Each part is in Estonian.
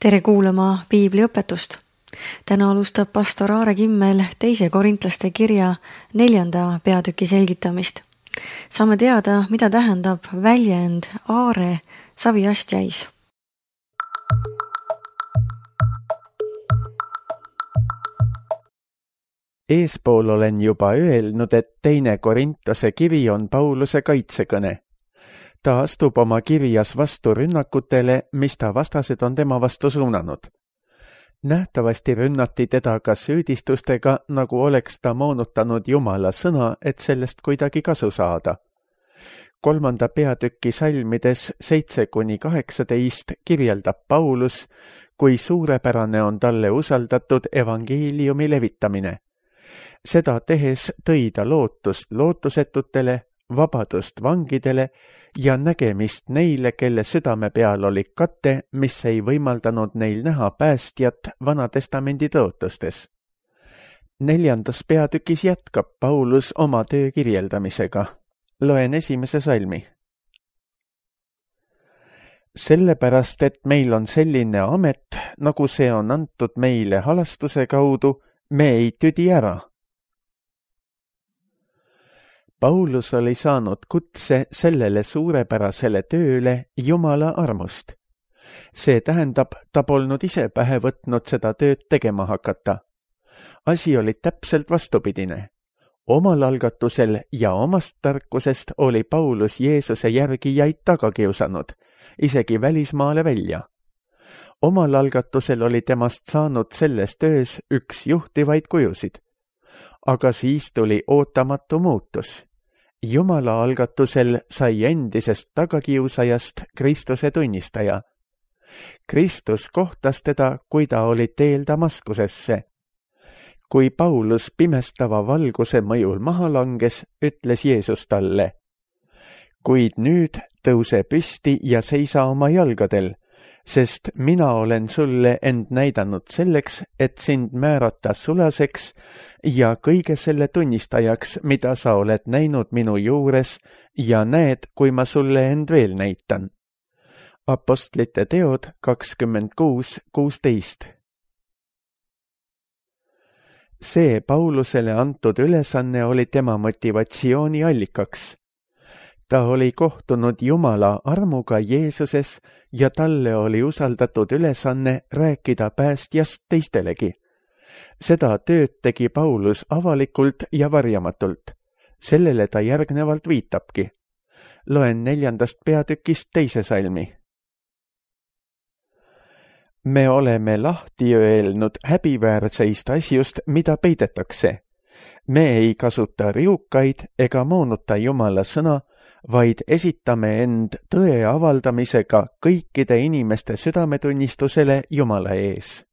Tere kuulama piibliõpetust. Täna alustab pastor Aare Kimmel 2. Korintlaste kirja 4. peatüki selgitamist. Saame teada, mida tähendab väljend Aare saviastjais. Eespool olen juba öelnud, et 2. Korintuse kiri on Pauluse kaitsekõne. Ta astub oma kirjas vastu rünnakutele, mis ta vastased on tema vastu suunanud. Nähtavasti rünnati teda ka süüdistustega, nagu oleks ta moonutanud Jumala sõna, et sellest kuidagi kasu saada. 3. peatüki salmides 7-18 kirjeldab Paulus, kui suurepärane on talle usaldatud evangeeliumi levitamine. Seda tehes tõi ta lootust lootusetutele, vabadust vangidele ja nägemist neile, kelle südame peal oli kate, mis ei võimaldanud neil näha päästjat Vanatestamendi tõotustes. 4. peatükis jätkab Paulus oma töö kirjeldamisega. Loen 1. salmi. Sellepärast, et meil on selline amet, nagu see on antud meile halastuse kaudu, me ei tüdi ära. Paulus oli saanud kutse sellele suurepärasele tööle Jumala armust. See tähendab, ta polnud ise pähe võtnud seda tööd tegema hakata. Asi oli täpselt vastupidine. Omal algatusel ja omast tarkusest oli Paulus Jeesuse järgijaid taga kiusanud, isegi välismaale välja. Omal algatusel oli temast saanud selles töös üks juhtivaid kujusid. Aga siis tuli ootamatu muutus. Jumala algatusel sai endisest tagakiusajast Kristuse tunnistaja. Kristus kohtas teda, kui ta oli teel Damaskusesse. Kui Paulus pimestava valguse mõjul maha langes, ütles Jeesus talle: kuid nüüd tõuse püsti ja seisa oma jalgadel, sest mina olen sulle end näidanud selleks, et sind määrata sulaseks ja kõige selle tunnistajaks, mida sa oled näinud minu juures ja näed, kui ma sulle end veel näitan. Apostlite teod 26:16. See Paulusele antud ülesanne oli tema motivatsiooni allikaks. Ta oli kohtunud Jumala armuga Jeesuses ja talle oli usaldatud ülesanne rääkida päästjast teistelegi. Seda tööd tegi Paulus avalikult ja varjamatult. Sellele ta järgnevalt viitabki. Loen 4. peatükist 2. salmi. Me oleme lahti öelnud häbiväärseist asjust, mida peidetakse. Me ei kasuta riukaid ega moonuta Jumala sõna, vaid esitame end tõe avaldamisega kõikide inimeste südametunnistusele Jumala ees.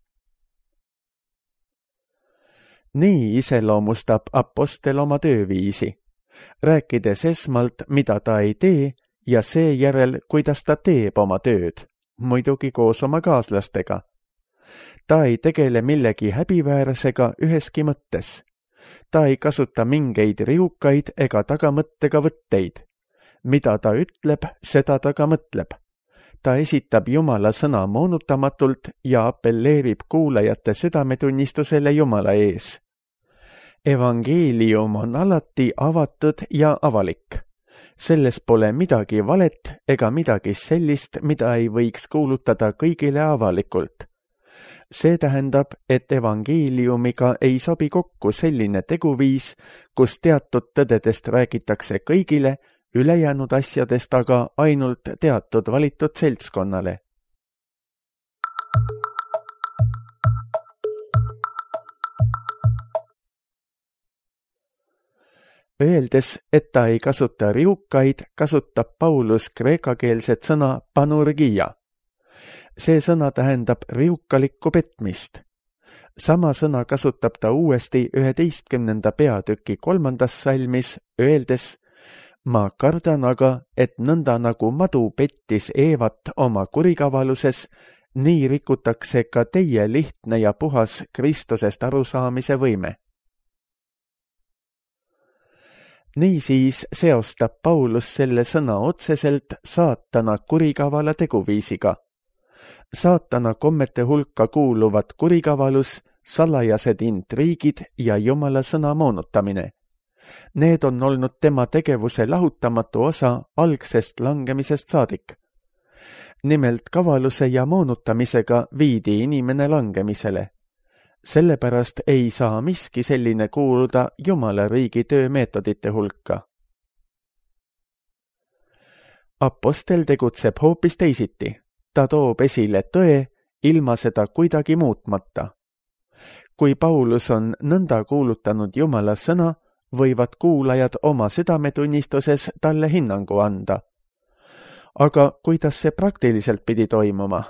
Nii iseloomustab apostel oma tööviisi, rääkides esmalt, mida ta ei tee, ja seejärel, kuidas ta teeb oma tööd, muidugi koos oma kaaslastega. Ta ei tegele millegi häbiväärsega üheski mõttes. Ta ei kasuta mingeid riukaid ega tagamõttega võtteid. Mida ta ütleb, seda ta ka mõtleb. Ta esitab Jumala sõna moonutamatult ja appelleerib kuulajate südametunnistusele Jumala ees. Evangeelium on alati avatud ja avalik. Selles pole midagi valet ega midagi sellist, mida ei võiks kuulutada kõigile avalikult. See tähendab, et evangeeliumiga ei sobi kokku selline teguviis, kus teatud tõdedest räägitakse kõigile, ülejäänud asjadest aga ainult teatud valitud seltskonnale. Öeldes, et ta ei kasuta riukaid, kasutab Paulus kreekakeelset sõna panurgia. See sõna tähendab riukalikku petmist. Sama sõna kasutab ta uuesti 11. peatüki 3. salmis, öeldes: ma kardan aga, et nõnda nagu madu pettis Eevat oma kurikavaluses, nii rikutakse ka teie lihtne ja puhas Kristusest arusaamise võime. Niisiis seostab Paulus selle sõna otseselt saatana kurikavala teguviisiga. Saatana kommete hulka kuuluvad kurikavalus, salajased intriigid ja Jumala sõna moonutamine. Need on olnud tema tegevuse lahutamatu osa algsest langemisest saadik. Nimelt kavaluse ja moonutamisega viidi inimene langemisele. Sellepärast ei saa miski selline kuuluda Jumala riigi töömeetodite hulka. Apostel tegutseb hoopis teisiti. Ta toob esile tõe ilma seda kuidagi muutmata. Kui Paulus on nõnda kuulutanud Jumala sõna, võivad kuulajad oma südametunnistuses talle hinnangu anda. Aga kuidas see praktiliselt pidi toimuma?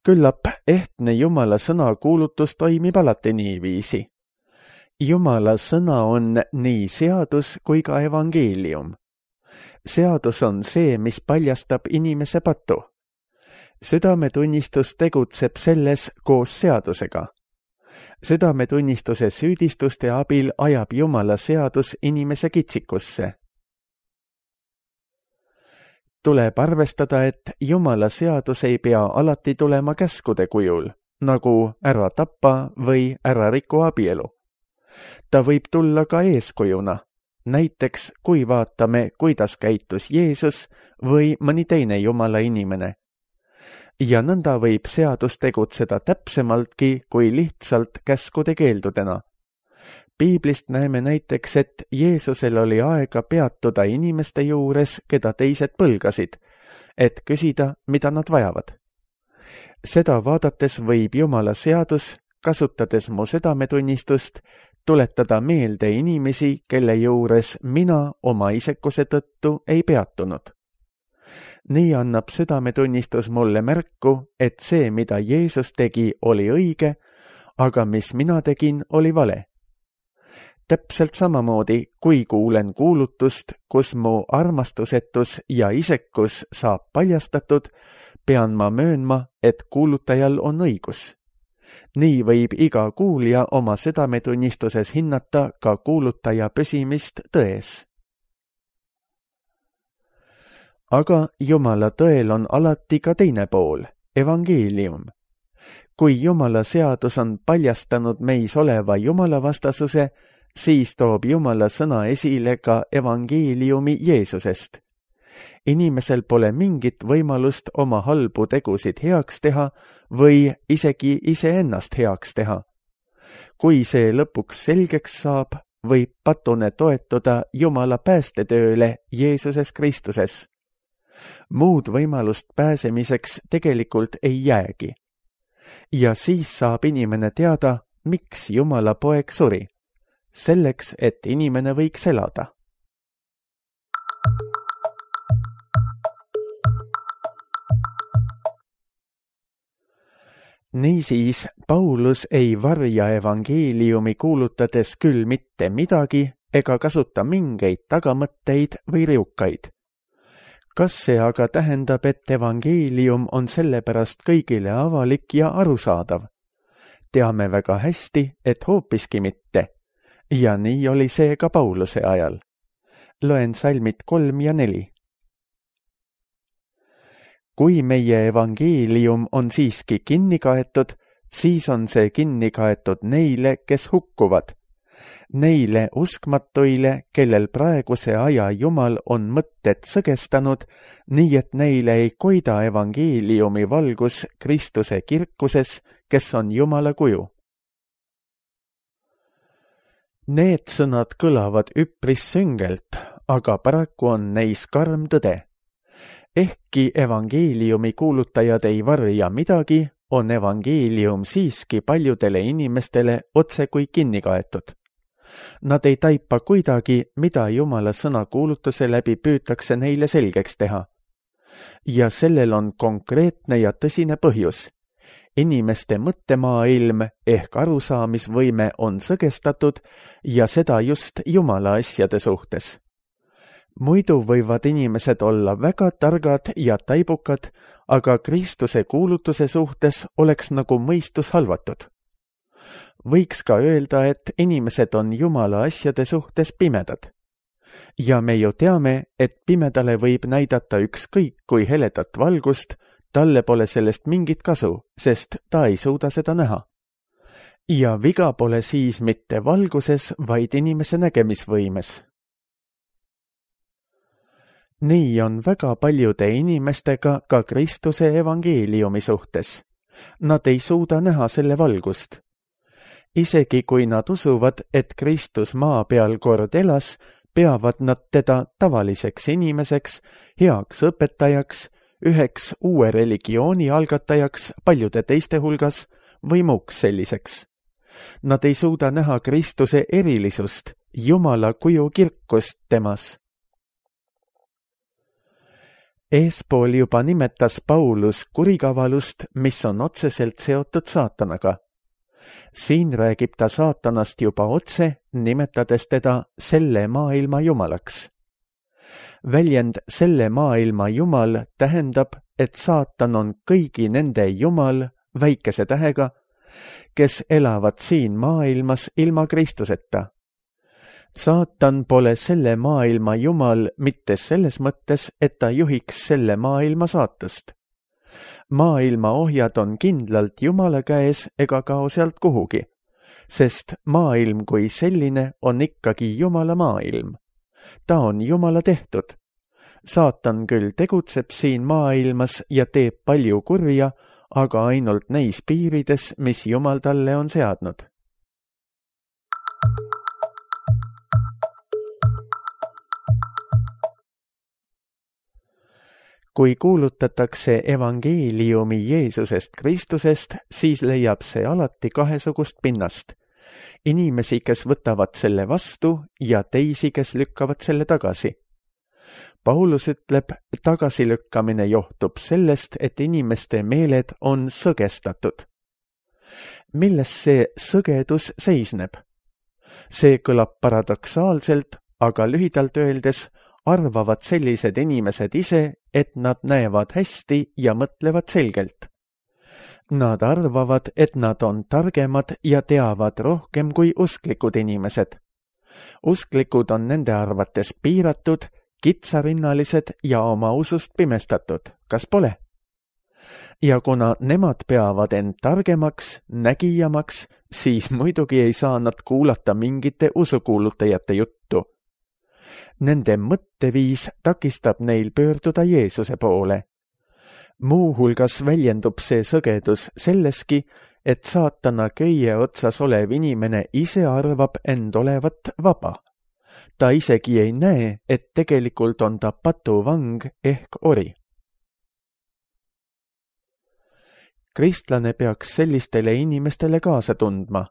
Küllap ehtne Jumala sõna kuulutus toimib alati niiviisi. Jumala sõna on nii seadus kui ka evangeelium. Seadus on see, mis paljastab inimese patu. Südametunnistus tegutseb selles koos seadusega. Südametunnistuse süüdistuste abil ajab Jumala seadus inimese kitsikusse. Tuleb arvestada, et Jumala seadus ei pea alati tulema käskude kujul, nagu ära tappa või ära riku abielu. Ta võib tulla ka eeskujuna, näiteks kui vaatame, kuidas käitus Jeesus või mõni teine Jumala inimene. Ja nõnda võib seadus tegutseda täpsemaltki kui lihtsalt käskude keeldudena. Piiblist näeme näiteks, et Jeesusel oli aega peatuda inimeste juures, keda teised põlgasid, et küsida, mida nad vajavad. Seda vaadates võib Jumala seadus, kasutades mu südametunnistust, tuletada meelde inimesi, kelle juures mina oma isekuse tõttu ei peatunud. Nii annab südametunnistus mulle märku, et see, mida Jeesus tegi, oli õige, aga mis mina tegin, oli vale. Täpselt samamoodi, kui kuulen kuulutust, kus mu armastusetus ja isekus saab paljastatud, pean ma möönma, et kuulutajal on õigus. Nii võib iga kuulja oma südametunnistuses hinnata ka kuulutaja püsimist tões. Aga Jumala tõel on alati ka teine pool, evangeelium. Kui Jumala seadus on paljastanud meis oleva Jumala vastasuse, siis toob Jumala sõna esile ka evangeeliumi Jeesusest. Inimesel pole mingit võimalust oma halbu tegusid heaks teha või isegi iseennast heaks teha. Kui see lõpuks selgeks saab, võib patune toetuda Jumala päästetööle Jeesuses Kristuses. Muud võimalust pääsemiseks tegelikult ei jäägi. Ja siis saab inimene teada, miks Jumala poeg suri. Selleks, et inimene võiks elada. Niisiis, Paulus ei varja evangeeliumi kuulutades küll mitte midagi ega kasuta mingeid tagamõtteid või riukaid. Kas see aga tähendab, et evangeelium on sellepärast kõigile avalik ja arusaadav? Teame väga hästi, et hoopiski mitte. Ja nii oli see ka Pauluse ajal. Loen salmid 3 ja 4. Kui meie evangeelium on siiski kinni kaetud, siis on see kinni kaetud neile, kes hukkuvad. Neile uskmatuile, kellel praeguse aja Jumal on mõtted sõgestanud, nii et neile ei koida evangeeliumi valgus Kristuse kirkuses, kes on Jumala kuju. Need sõnad kõlavad üpris süngelt, aga paraku on neis karm tõde. Ehkki evangeeliumi kuulutajad ei varja midagi, on evangeelium siiski paljudele inimestele otse kui kinni kaetud. Nad ei taipa kuidagi, mida Jumala sõna kuulutuse läbi püütakse neile selgeks teha. Ja sellel on konkreetne ja tõsine põhjus. Inimeste mõttemaailm ehk arusaamisvõime on sõgestatud ja seda just Jumala asjade suhtes. Muidu võivad inimesed olla väga targad ja taibukad, aga Kristuse kuulutuse suhtes oleks nagu mõistus halvatud. Võiks ka öelda, et inimesed on Jumala asjade suhtes pimedad. ja me ju teame, et pimedale võib näidata ükskõik kui heledat valgust, talle pole sellest mingit kasu, sest ta ei suuda seda näha. Ja viga pole siis mitte valguses, vaid inimese nägemisvõimes. Nii on väga paljude inimestega ka Kristuse evangeeliumi suhtes. Nad ei suuda näha selle valgust. Isegi kui nad usuvad, et Kristus maa peal kord elas, peavad nad teda tavaliseks inimeseks, heaks õpetajaks, üheks uue religiooni algatajaks paljude teiste hulgas või muuks selliseks. Nad ei suuda näha Kristuse erilisust, Jumala kuju kirkust temas. Eespool juba nimetas Paulus kurikavalust, mis on otseselt seotud saatanaga. Siin räägib ta saatanast juba otse, nimetades teda selle maailma jumalaks. Väljend selle maailma jumal tähendab, et saatan on kõigi nende jumal väikese tähega, kes elavad siin maailmas ilma Kristuseta. Saatan pole selle maailma jumal mitte selles mõttes, et ta juhiks selle maailma saatust. Maailma ohjad on kindlalt Jumala käes ega kao sealt kuhugi, sest maailm kui selline on ikkagi Jumala maailm. Ta on Jumala tehtud. Saatan küll tegutseb siin maailmas ja teeb palju kurja, aga ainult neis piirides, mis Jumal talle on seadnud. Kui kuulutatakse evangeeliumi Jeesusest Kristusest, siis leiab see alati kahesugust pinnast. Inimesi, kes võtavad selle vastu ja teisi, kes lükkavad selle tagasi. Paulus ütleb, tagasilükkamine johtub sellest, et inimeste meeled on sõgestatud. Milles see sõgedus seisneb? See kõlab paradoksaalselt, aga lühidalt öeldes arvavad sellised inimesed ise, et nad näevad hästi ja mõtlevad selgelt. Nad arvavad, et nad on targemad ja teavad rohkem kui usklikud inimesed. Usklikud on nende arvates piiratud, kitsarinnalised ja oma usust pimestatud, kas pole? Ja kuna nemad peavad end targemaks, nägijamaks, siis muidugi ei saa nad kuulata mingite usukuulutajate juttu. Nende mõtteviis takistab neil pöörduda Jeesuse poole. Muuhulgas väljendub see sõgedus selleski, et saatana köie otsas olev inimene ise arvab end olevat vaba. Ta isegi ei näe, et tegelikult on ta patuvang ehk ori. Kristlane peaks sellistele inimestele kaasa tundma.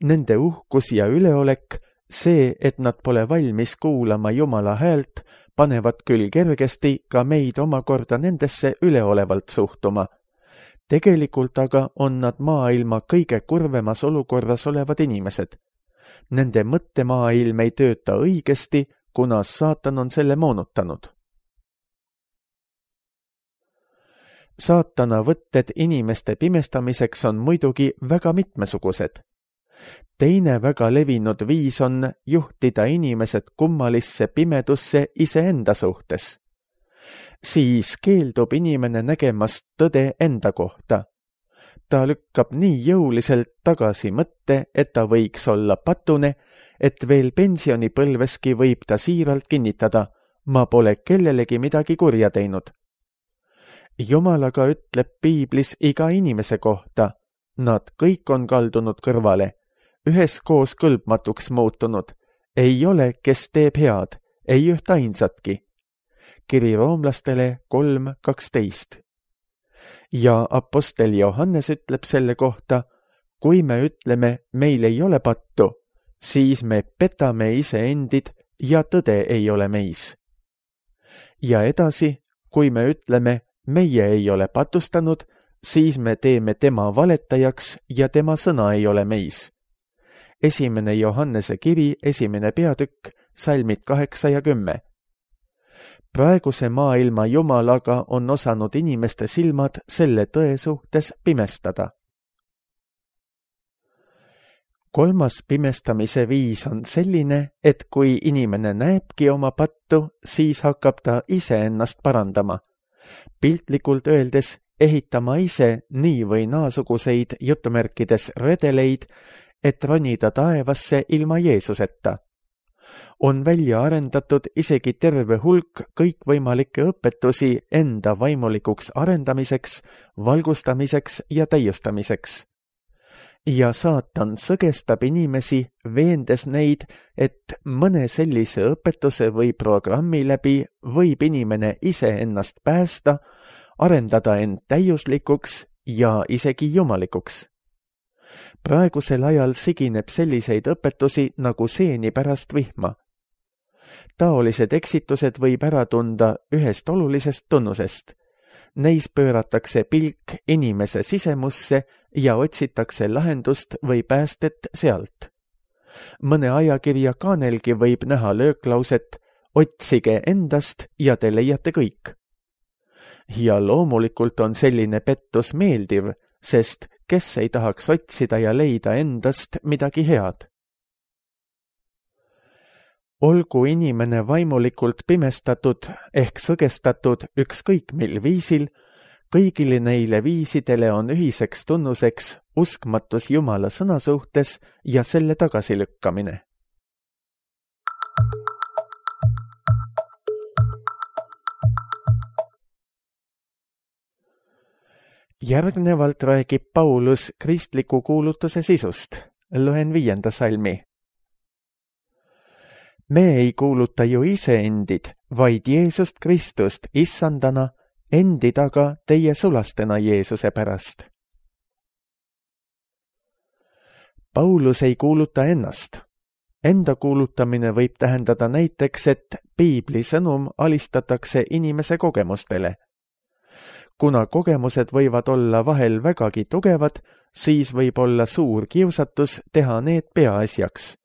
Nende uhkus ja üleolek, see, et nad pole valmis kuulama Jumala häält, panevad küll kergesti ka meid omakorda nendesse üleolevalt suhtuma. Tegelikult aga on nad maailma kõige kurvemas olukorras olevad inimesed. Nende mõttemaailm ei tööta õigesti, kuna saatan on selle moonutanud. Saatana võtted inimeste pimestamiseks on muidugi väga mitmesugused. Teine väga levinud viis on juhtida inimesed kummalisse pimedusse iseenda suhtes. Siis keeldub inimene nägemast tõde enda kohta. Ta lükkab nii jõuliselt tagasi mõtte, et ta võiks olla patune, et veel pensionipõlveski võib ta siiralt kinnitada, ma pole kellelegi midagi kurja teinud. Jumal aga ütleb piiblis iga inimese kohta, nad kõik on kaldunud kõrvale, üheskoos kõlbmatuks muutunud, ei ole, kes teeb head, ei üht ainsatki. Kiri roomlastele 3:12. Ja apostel Johannes ütleb selle kohta, kui me ütleme, meil ei ole pattu, siis me petame iseendid ja tõde ei ole meis. Ja edasi, kui me ütleme, meie ei ole patustanud, siis me teeme tema valetajaks ja tema sõna ei ole meis. 1. Johannese kiri, 1. peatükk, salmid 8 ja 10. Praeguse maailma Jumal aga on osanud inimeste silmad selle tõe suhtes pimestada. 3. pimestamise viis on selline, et kui inimene näebki oma pattu, siis hakkab ta iseennast parandama. Piltlikult öeldes ehitama ise nii või naasuguseid jutumärkides redeleid, et ronida taevasse ilma Jeesuseta. On välja arendatud isegi terve hulk kõikvõimalikke õpetusi enda vaimulikuks arendamiseks, valgustamiseks ja täiustamiseks. Ja saatan sõgestab inimesi, veendes neid, et mõne sellise õpetuse või programmi läbi võib inimene iseennast päästa, arendada end täiuslikuks ja isegi jumalikuks. Praegusel ajal sigineb selliseid õpetusi nagu seeni pärast vihma. Taolised eksitused võib ära tunda ühest olulisest tunnusest. Neis pööratakse pilk inimese sisemusse ja otsitakse lahendust või päästet sealt. Mõne ajakirja kaanelgi võib näha lööklauset "Otsige endast ja te leiate kõik". Ja loomulikult on selline pettus meeldiv, sest kes ei tahaks otsida ja leida endast midagi head. Olgu inimene vaimulikult pimestatud ehk sõgestatud ükskõik mil viisil, kõigile neile viisidele on ühiseks tunnuseks uskmatus Jumala sõna suhtes ja selle tagasilükkamine. Järgnevalt räägib Paulus kristliku kuulutuse sisust. Loen 5. salmi. Me ei kuuluta ju iseendid, vaid Jeesust Kristust issandana, endi taga teie sulastena Jeesuse pärast. Paulus ei kuuluta ennast. Enda kuulutamine võib tähendada näiteks, et Piibli sõnum alistatakse inimese kogemustele. Kuna kogemused võivad olla vahel vägagi tugevad, siis võib olla suur kiusatus teha need peaasjaks.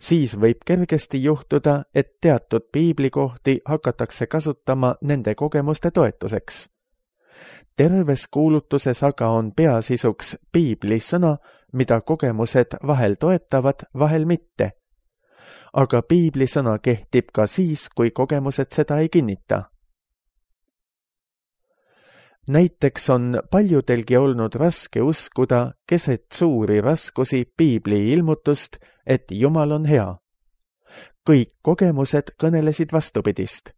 Siis võib kergesti juhtuda, et teatud piiblikohti hakatakse kasutama nende kogemuste toetuseks. Terves kuulutuses aga on peasisuks Piibli sõna, mida kogemused vahel toetavad, vahel mitte. Aga Piibli sõna kehtib ka siis, kui kogemused seda ei kinnita. Näiteks on paljudelgi olnud raske uskuda keset suuri raskusi Piibli ilmutust, et Jumal on hea. Kõik kogemused kõnelesid vastupidist,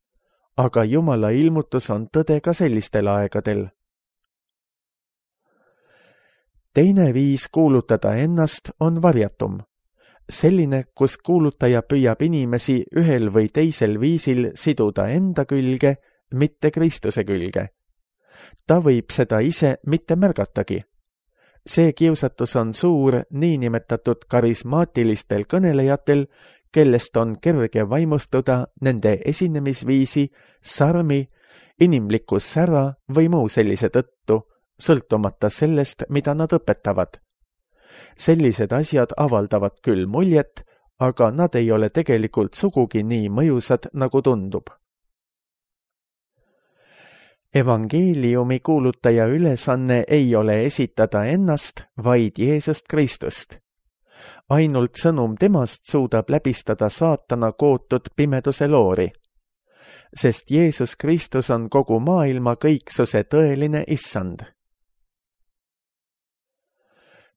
aga Jumala ilmutus on tõde ka sellistel aegadel. Teine viis kuulutada ennast on varjatum. Selline, kus kuulutaja püüab inimesi ühel või teisel viisil siduda enda külge, mitte Kristuse külge. Ta võib seda ise mitte märgatagi. See kiusatus on suur niinimetatud karismaatilistel kõnelejatel, kellest on kerge vaimustuda nende esinemisviisi, sarmi, inimliku sära või muu sellise tõttu, sõltumata sellest, mida nad õpetavad. Sellised asjad avaldavad küll muljet, aga nad ei ole tegelikult sugugi nii mõjusad, nagu tundub. Evangeeliumi kuulutaja ülesanne ei ole esitada ennast, vaid Jeesust Kristust. Ainult sõnum temast suudab läbistada saatana kootud pimeduse loori, sest Jeesus Kristus on kogu maailma kõiksuse tõeline issand.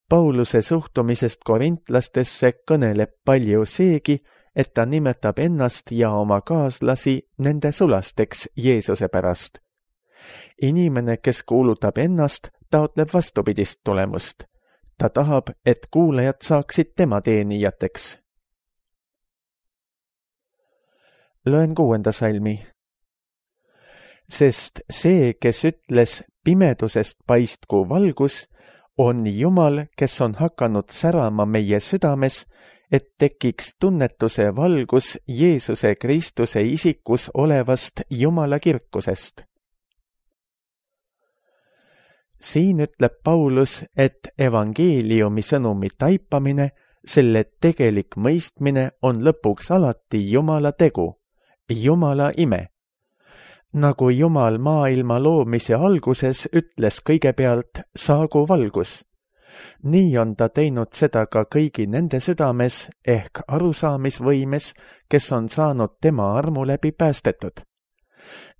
Pauluse suhtumisest korintlastesse kõneleb palju seegi, et ta nimetab ennast ja oma kaaslasi nende sulasteks Jeesuse pärast. Inimene, kes kuulutab ennast, taotleb vastupidist tulemust. Ta tahab, et kuulajad saaksid tema teenijateks. Loen 6. salmi. Sest see, kes ütles pimedusest paistku valgus, on Jumal, kes on hakanud särama meie südames, et tekiks tunnetuse valgus Jeesuse Kristuse isikus olevast Jumala kirkusest. Siin ütleb Paulus, et evangeeliumi sõnumi taipamine, selle tegelik mõistmine on lõpuks alati Jumala tegu, Jumala ime. Nagu Jumal maailma loomise alguses ütles kõigepealt saagu valgus, nii on ta teinud seda ka kõigi nende südames ehk arusaamisvõimes, kes on saanud tema armu läbi päästetud.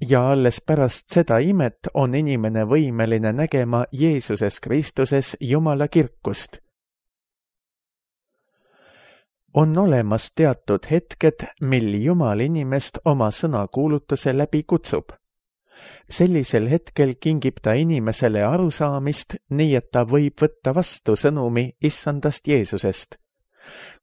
Ja alles pärast seda imet on inimene võimeline nägema Jeesuses Kristuses Jumala kirkust. On olemas teatud hetked, mil Jumal inimest oma sõnakuulutuse läbi kutsub. Sellisel hetkel kingib ta inimesele arusaamist, nii et ta võib võtta vastu sõnumi issandast Jeesusest.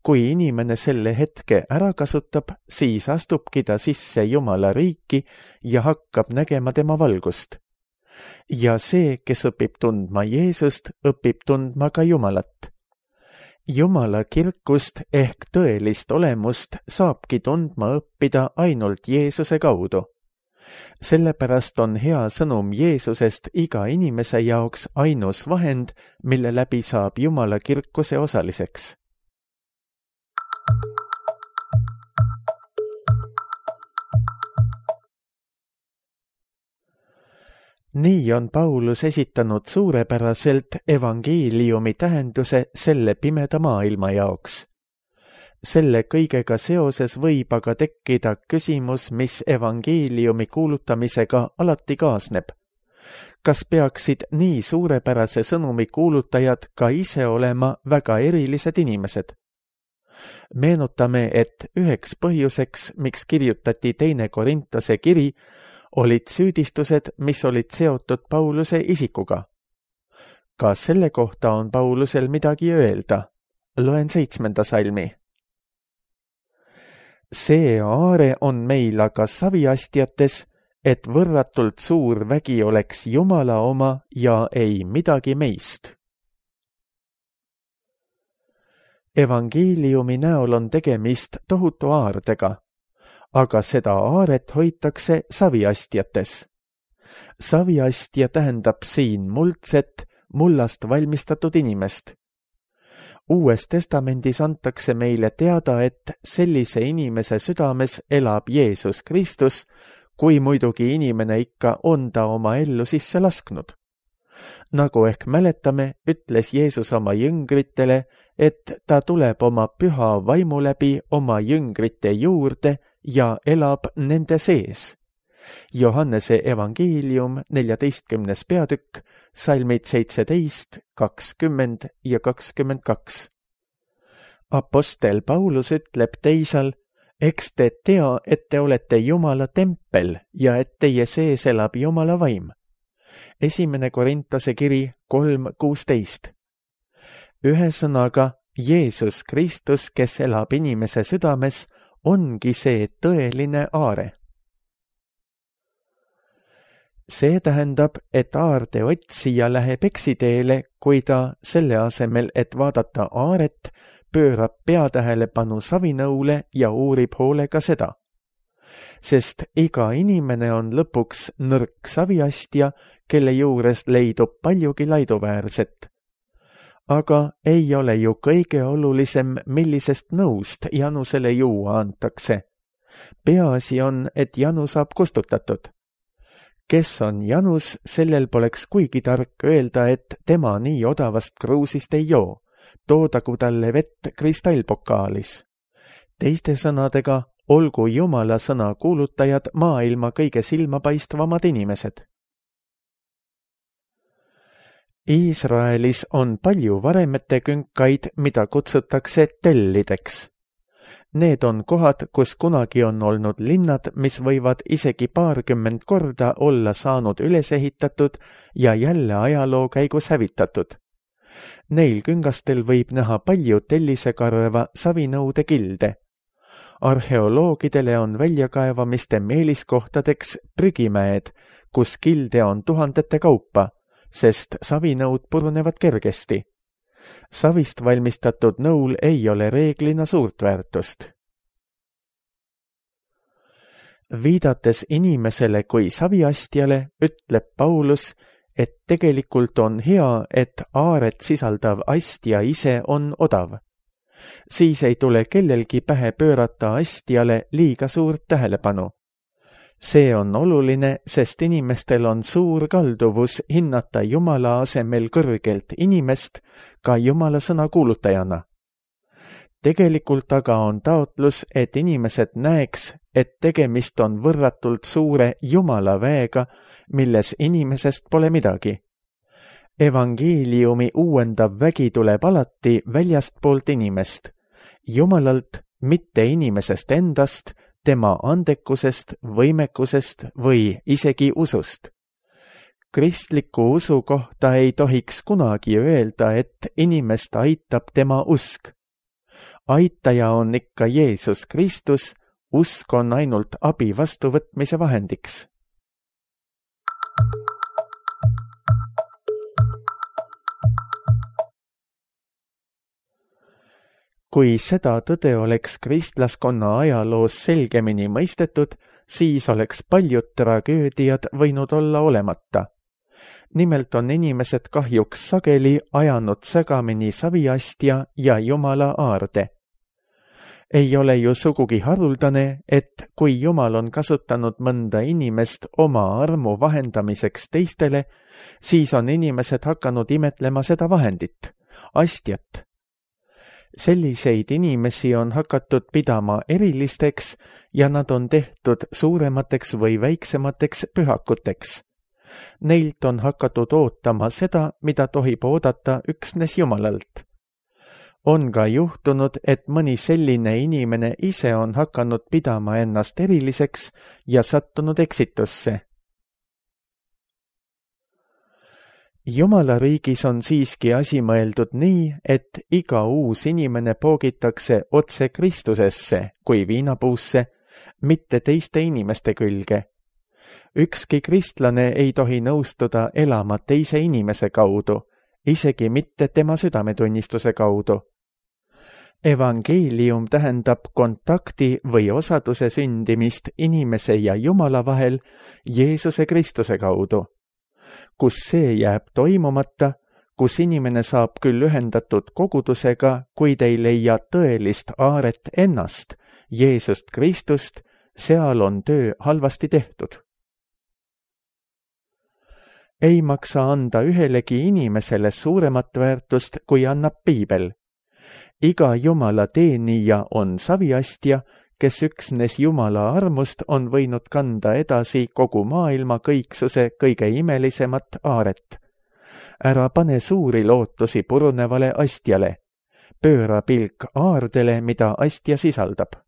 Kui inimene selle hetke ära kasutab, siis astubki ta sisse Jumala riiki ja hakkab nägema tema valgust. Ja see, kes õpib tundma Jeesust, õpib tundma ka Jumalat. Jumala kirkust ehk tõelist olemust saabki tundma õppida ainult Jeesuse kaudu. Sellepärast on hea sõnum Jeesusest iga inimese jaoks ainus vahend, mille läbi saab Jumala kirkuse osaliseks. Nii on Paulus esitanud suurepäraselt evangeeliumi tähenduse selle pimeda maailma jaoks. Selle kõigega seoses võib aga tekkida küsimus, mis evangeeliumi kuulutamisega alati kaasneb. Kas peaksid nii suurepärase sõnumi kuulutajad ka ise olema väga erilised inimesed? Meenutame, et üheks põhjuseks, miks kirjutati 2. Korintuse kiri, olid süüdistused, mis olid seotud Pauluse isikuga. Ka selle kohta on Paulusel midagi öelda. Loen 7. salmi. See aare on meil aga saviastjates, et võrratult suur vägi oleks Jumala oma ja ei midagi meist. Evangeeliumi näol on tegemist tohutu aardega, aga seda aaret hoitakse saviastjates. Saviastja tähendab siin muldset, mullast valmistatud inimest. Uues testamendis antakse meile teada, et sellise inimese südames elab Jeesus Kristus, kui muidugi inimene ikka on ta oma ellu sisse lasknud. Nagu ehk mäletame, ütles Jeesus oma jüngritele, et ta tuleb oma püha vaimu läbi oma jüngrite juurde ja elab nende sees. Johannese evangeelium 14. peatükk, salmid 17, 20 ja 22. Apostel Paulus ütleb teisal, eks te tea, et te olete Jumala tempel ja et teie sees elab Jumala vaim. 1. Korintuse kiri 3:16. Ühesõnaga, Jeesus Kristus, kes elab inimese südames, ongi see tõeline aare. See tähendab, et aarde otsija läheb eksiteele, kui ta selle asemel, et vaadata aaret, pöörab peatähelepanu savinõule ja uurib hoolega seda. Sest iga inimene on lõpuks nõrk saviastja, kelle juures leidub paljugi laiduväärset. Aga ei ole ju kõige olulisem, millisest nõust janusele juua antakse. Peaasi on, et janu saab kustutatud. Kes on janus, sellel poleks kuigi tark öelda, et tema nii odavast kruusist ei joo, toodagu talle vett kristallpokaalis. Teiste sõnadega, olgu Jumala sõna kuulutajad maailma kõige silmapaistvamad inimesed. Iisraelis on palju varemete künkaid, mida kutsutakse tellideks. Need on kohad, kus kunagi on olnud linnad, mis võivad isegi 20 korda olla saanud üles ehitatud ja jälle ajaloo käigus hävitatud. Neil küngastel võib näha palju tellisekarva savinõude kilde. Arheoloogidele on väljakaevamiste meeliskohtadeks prügimäed, kus kilde on tuhandete kaupa, sest savinõud purunevad kergesti. Savist valmistatud nõul ei ole reeglina suurt väärtust. Viidates inimesele kui saviastjale, ütleb Paulus, et tegelikult on hea, et aaret sisaldav astja ise on odav. Siis ei tule kellelgi pähe pöörata astjale liiga suurt tähelepanu. See on oluline, sest inimestel on suur kalduvus hinnata Jumala asemel kõrgelt inimest ka Jumala sõna kuulutajana. Tegelikult aga on taotlus, et inimesed näeks, et tegemist on võrratult suure Jumala väega, milles inimesest pole midagi. Evangeeliumi uuendav vägi tuleb alati väljastpoolt inimest, Jumalalt, mitte inimesest endast, tema andekusest, võimekusest või isegi usust. Kristliku usu kohta ei tohiks kunagi öelda, et inimest aitab tema usk. Aitaja on ikka Jeesus Kristus, usk on ainult abi vastuvõtmise vahendiks. Kui seda tõde oleks kristlaskonna ajaloos selgemini mõistetud, siis oleks paljud tragöödiad võinud olla olemata. Nimelt on inimesed kahjuks sageli ajanud segamini saviastja ja Jumala aarde. Ei ole ju sugugi haruldane, et kui Jumal on kasutanud mõnda inimest oma armu vahendamiseks teistele, siis on inimesed hakanud imetlema seda vahendit, astjat. Selliseid inimesi on hakatud pidama erilisteks ja nad on tehtud suuremateks või väiksemateks pühakuteks. Neilt on hakatud ootama seda, mida tohib oodata üksnes Jumalalt. On ka juhtunud, et mõni selline inimene ise on hakanud pidama ennast eriliseks ja sattunud eksitusse. Jumala riigis on siiski asi mõeldud nii, et iga uus inimene poogitakse otse Kristusesse kui viinapuusse, mitte teiste inimeste külge. Ükski kristlane ei tohi nõustuda elama teise inimese kaudu, isegi mitte tema südametunnistuse kaudu. Evangeelium tähendab kontakti või osaduse sündimist inimese ja Jumala vahel Jeesuse Kristuse kaudu. Kus see jääb toimumata, kus inimene saab küll ühendatud kogudusega, kuid ei leia tõelist aaret ennast, Jeesust Kristust, seal on töö halvasti tehtud. Ei maksa anda ühelegi inimesele suuremat väärtust, kui annab Piibel. Iga Jumala teenija on saviastja, kes üksnes Jumala armust on võinud kanda edasi kogu maailma kõiksuse kõige imelisemat aaret. Ära pane suuri lootusi purunevale astjale. Pööra pilk aardele, mida astja sisaldab.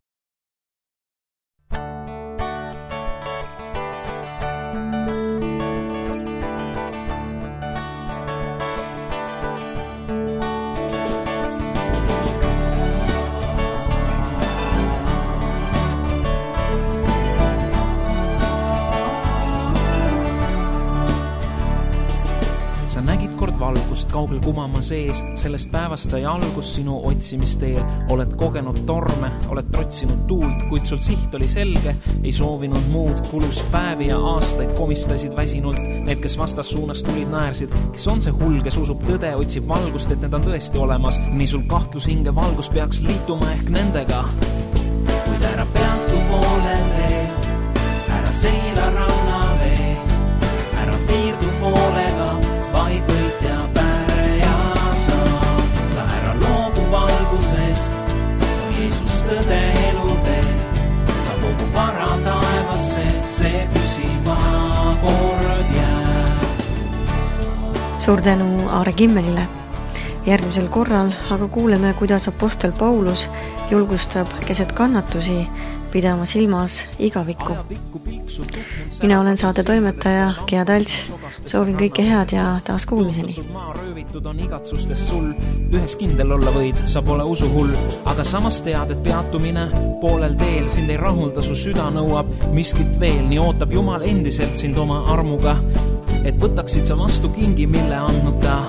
Valgust kaugel kumama sees, sellest päevast sai algus sinu otsimisteel. Oled kogenud torme, oled trotsinud tuult, kuid sul siht oli selge, ei soovinud muud. Kulus päevi ja aastaid, komistasid väsinult. Need, kes vastas suunas tulid, naersid. Kes on see hull, kes usub tõde, otsib valgust, et need on tõesti olemas. Nii sul kahtlus hinge valgus peaks liituma ehk nendega. Kuid ära peatu poolele, ära seila ranna vees, ära piirdu poolega, vaid võitja päreja sa ära loobu valgusest, Jeesus tõde elutee, sa kogu vara taevasse, see püsiva kord jääb. Suur tänu Aare Kimmelile. Järgmisel korral aga kuuleme, kuidas apostel Paulus julgustab keset kannatusi pidama silmas igavikku. Mina olen saate toimetaja Gea Talts. Soovin kõike head ja taas kuulmiseni. Röövitud on igatsustest sul, ühes kindel olla võid, sa pole usuhull, aga samas tead, et peatumine poolel teel sind ei rahulda, su süda nõuab miskit veel, nii ootab Jumal endiselt sind oma armuga, et võtaksid sa vastu kingi, mille andnud ta.